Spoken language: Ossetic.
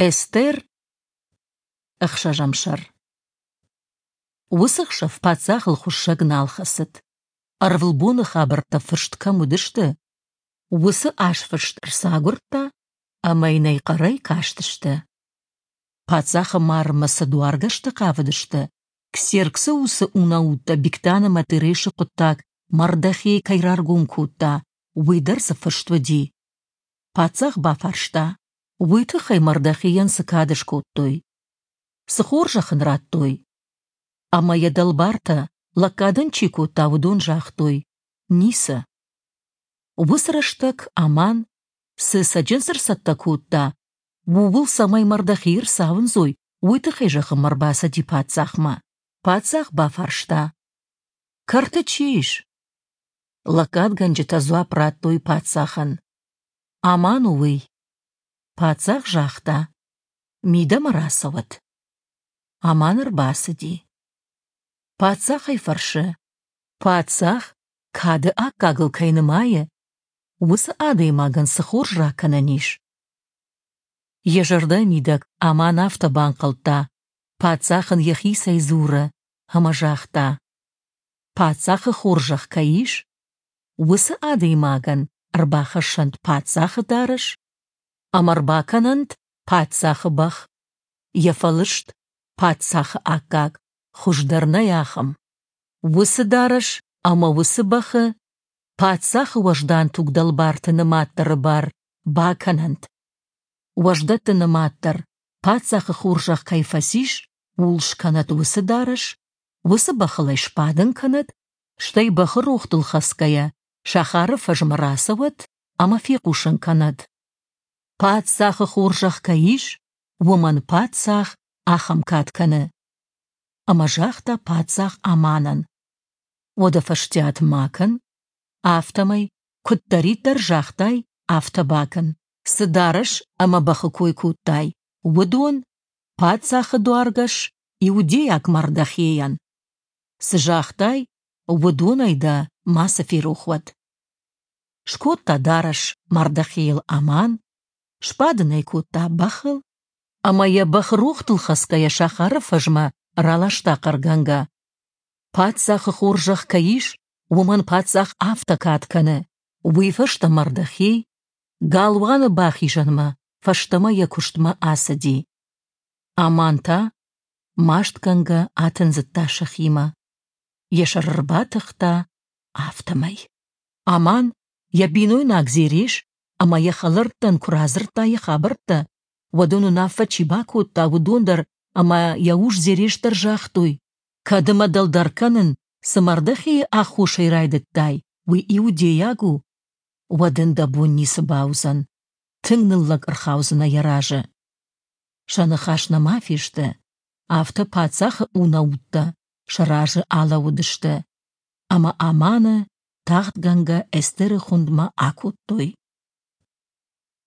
Эстер, ӕхсӕзӕм сӕр. Уыцы хсӕв паддзахыл хуыссӕг нал хӕцыд. Ӕрвылбоны хабӕрттӕ фыст кӕм уыдысты, уыцы азфыст ӕрцагуырдта ӕмӕ йын ӕй хъӕрӕй кастысты. Паддзахы марынмӕ цы дуаргӕстӕ хъавыдысты, Ксерксы уыцы унӕуттӕ Бигтан ӕмӕ Терешы хъуыддаг Мардохей кӕй раргом кодта, уый дӕр дзы фыст уыди. Паддзах бафарста, уый тыххӕй Мардохейӕн цы кад скодтой? Цы хорзӕх ын радтой? Ӕмӕ йӕ дӕлбартӕ, лӕггад ын чи кодта, уыдон загътой: ницы. Уыцы рӕстӕг Аман, цы цӕджындз ӕрцӕттӕ кодта, ууыл цӕмӕй Мардохей ӕрцауындзой, уый тыххӕй зӕгъынмӕ ӕрбацыди паддзахмӕ. Паддзах бафарста: Кӕрты чи ис? Лӕггадгӕнджытӕ дзуапп радтой паддзахӕн: Аман у уый. Паддзах загъта: Мидӕмӕ рацӕуӕд. Аман ӕрбацыди. Паддзах ӕй фӕрсы: Паддзах кады аккагыл кӕй нымайы, уыцы адӕймагӕн цы хорз ракӕнӕн ис? Йӕ зӕрдӕ мидӕг Аман афтӕ банхъӕлдта, паддзах ын йӕхицӕй дзуры, ӕмӕ загъта: Паддзахы хорзӕх кӕй ис, уыцы адӕймагӕн ӕрбахӕссӕнт паддзахы дарӕс ӕмӕ ӕрбакӕнӕнт паддзахы бӕх, йӕ фӕлыст паддзахы аккаг, хуыздӕр нӕй ахӕм. Уыцы дарӕс ӕмӕ уыцы бӕхы паддзахы уӕздан тугдӕлбарты нымаддӕры бар бакӕнӕнт. Уӕздӕтты нымаддӕр паддзахы хорзӕх кӕй фӕцис, ууыл скӕнӕд уыцы дарӕс, уыцы бӕхыл ӕй сбадын кӕнӕд, стӕй бӕхы рохтыл хӕцгӕйӕ сахары фӕзмӕ рацӕуӕд ӕмӕ фехъусын кӕнӕд: Паддзахы хорзӕх кӕй ис, уымӕн паддзах ахӕм кад кӕны. Ӕмӕ загъта паддзах Аманӕн: Уӕдӕ фӕстиат ма кӕн, афтӕмӕй, куыддӕриддӕр загътай, афтӕ бакӕн. Цы дарӕс ӕмӕ бӕхы кой кодтай, уыдон паддзахы дуаргӕс иудейаг Мардохейӕн. Цы загътай, уыдонӕй дӕ мацы ферох уӕд. Скодта дарӕс Мардохейыл Аман, сбадын ӕй кодта бӕхыл ӕмӕ йӕ бӕхы рохтыл хӕцгӕйӕ сахары фӕзмӕ раласта хъӕргӕнгӕ. Паддзахы хорзӕх кӕй ис, уымӕн паддзах афтӕ кад кӕны. Уый фӕстӕ Мардохей галуаны бахизӕнмӕ фӕстӕмӕ йӕ куыстмӕ ацыди. Аман та мастгӕнгӕ атындзыдта сӕхимӕ, йӕ сӕр ӕрбатыхта, афтӕмӕй. Аман йӕ бинойнаг Зереш ӕмӕ йӕ хӕлӕрттӕн куы радзырдта йӕ хабӕрттӕ, уӕд ын уынаффӕ чи бакодта, уыдон дӕр ӕмӕ йӕ ус Зереш дӕр загътой: «Кӕд ӕмӕ дӕлдӕр кӕнын, цы Мардохейы аххосӕй райдыдтай, уый иудейаг у, уӕд ын дӕ бон ницы бауыдзӕн, тынг ныллӕг ӕрхаудзынӕ йӕ разы». Сӕ ныхас нӕма фесты, афтӕ паддзахы унӕуттӕ сӕ разы алӕууыдысты, ӕмӕ Аманы тагъдгӕнгӕ Эстеры хуындмӕ акодтой.